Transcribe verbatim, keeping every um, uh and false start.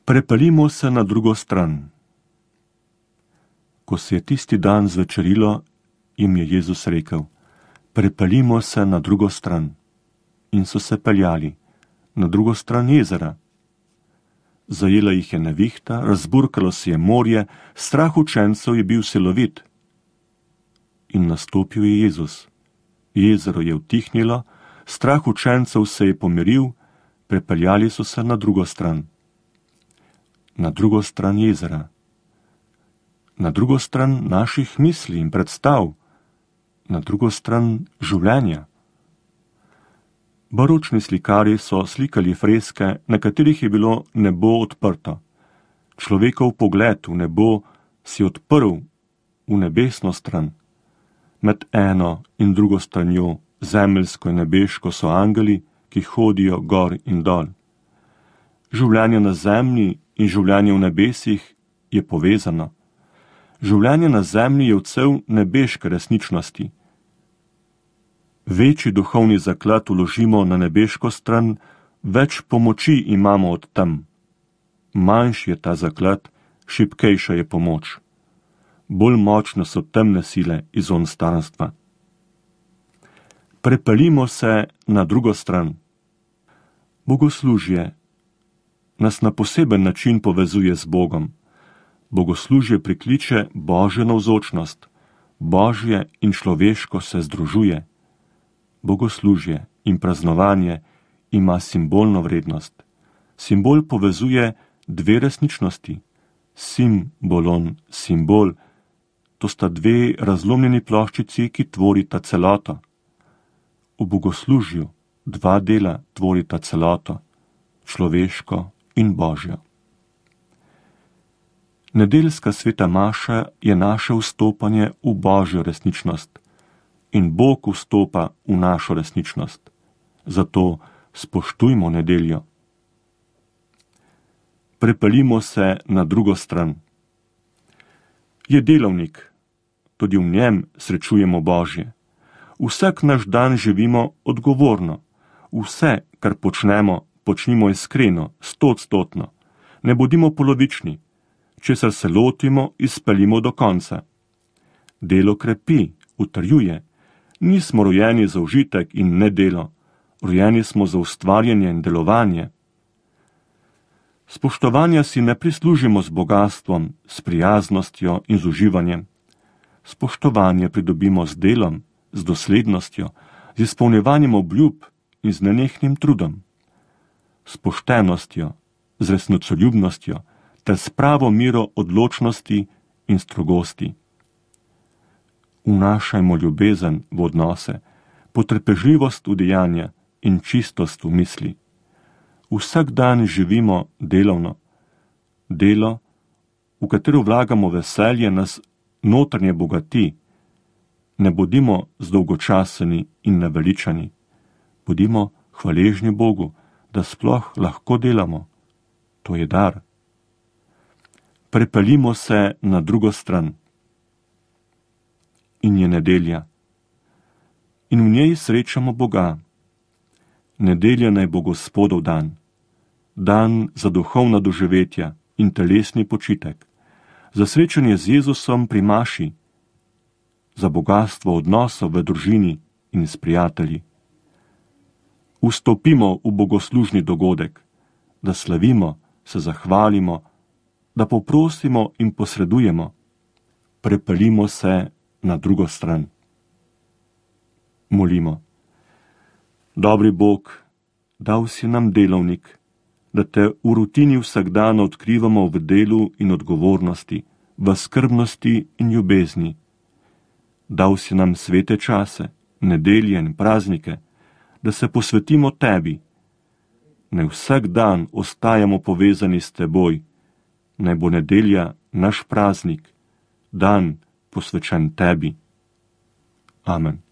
Prepeljimo se na drugo stran. Ko se je tisti dan zvečerilo, jim je Jezus rekel: prepeljimo se na drugo stran. In so se peljali na drugo stran jezera. Zajela jih je nevihta, razburkalo se je morje, strah učencev je bil silovit. In nastopil je Jezus. Jezero je utihnilo, strah učencev se je pomiril, prepeljali so se na drugo stran. Na drugo stran jezera. Na drugo stran naših misli in predstav. Na drugo stran življenja. Baročni slikarji so slikali freske, na katerih je bilo nebo odprto. Človekov pogled v nebo si odprl v nebesno stran. Med eno in drugo stranjo, zemeljsko in nebeško, so angeli, ki hodijo gor in dol. Življenje na zemlji in življenje v nebesih je povezano. Življenje na zemlji je odsev nebeške resničnosti. Večji duhovni zaklad vložimo na nebeško stran, več pomoči imamo od tam. Manjši je ta zaklad, šibkejša je pomoč. Bolj močne so temne sile iz onstranstva. Prepeljimo se na drugo stran. Bogoslužje nas na poseben način povezuje z Bogom. Bogoslužje prikliče Božjo navzočnost. Božje in človeško se združuje. Bogoslužje in praznovanje ima simbolno vrednost. Simbol povezuje dve resničnosti. Simbolon, simbol, to sta dve razlomljeni ploščici, ki tvorita celoto. V bogoslužju dva dela tvorita celoto, človeško in Božjo. Nedeljska sveta maša je naše vstopanje v Božjo resničnost in Bog vstopa v našo resničnost. Zato spoštujmo nedeljo. Prepeljimo se na drugo stran. Je delovnik, tudi v njem srečujemo Božje. Vsak naš dan živimo odgovorno. Vse, kar počnemo, počnimo iskreno, stoodstotno. Ne bodimo polovični. Česar se lotimo, izpeljimo do konca. Delo krepi, utrjuje. Nismo rojeni za užitek in ne delo. Rojeni smo za ustvarjanje in delovanje. Spoštovanja si ne prislužimo z bogatstvom, s prijaznostjo in z uživanjem. Spoštovanje pridobimo z delom, z doslednostjo, z izpolnjevanjem obljub in z nenehnim trudom. S poštenostjo, z resnicoljubnostjo ter s pravo miro odločnosti in strogosti. Vnašajmo ljubezen v odnose, potrpežljivost v dejanja in čistost v misli. Vsak dan živimo delovno. Delo, v katero vlagamo veselje, nas notranje bogati. Ne bodimo zdolgočaseni in naveličani. Bodimo hvaležni Bogu, da sploh lahko delamo. To je dar. Prepeljimo se na drugo stran. In je nedelja. In v njej srečamo Boga. Nedelja naj bo Gospodov dan. Dan za duhovna doživetja in telesni počitek. Za srečanje z Jezusom pri maši. Za bogatstvo odnosov v družini in s prijatelji. Vstopimo v bogoslužni dogodek, da slavimo, se zahvalimo, da poprosimo in posredujemo. Prepeljimo se na drugo stran. Molimo. Dobri Bog, dal si nam delovnik, da te v rutini vsak dan odkrivamo v delu in odgovornosti, v skrbnosti in ljubezni. Dal si nam svete čase, nedelje in praznike, da se posvetimo tebi. Naj vsak dan ostajamo povezani s teboj. Naj bo nedelja naš praznik, dan posvečen tebi. Amen.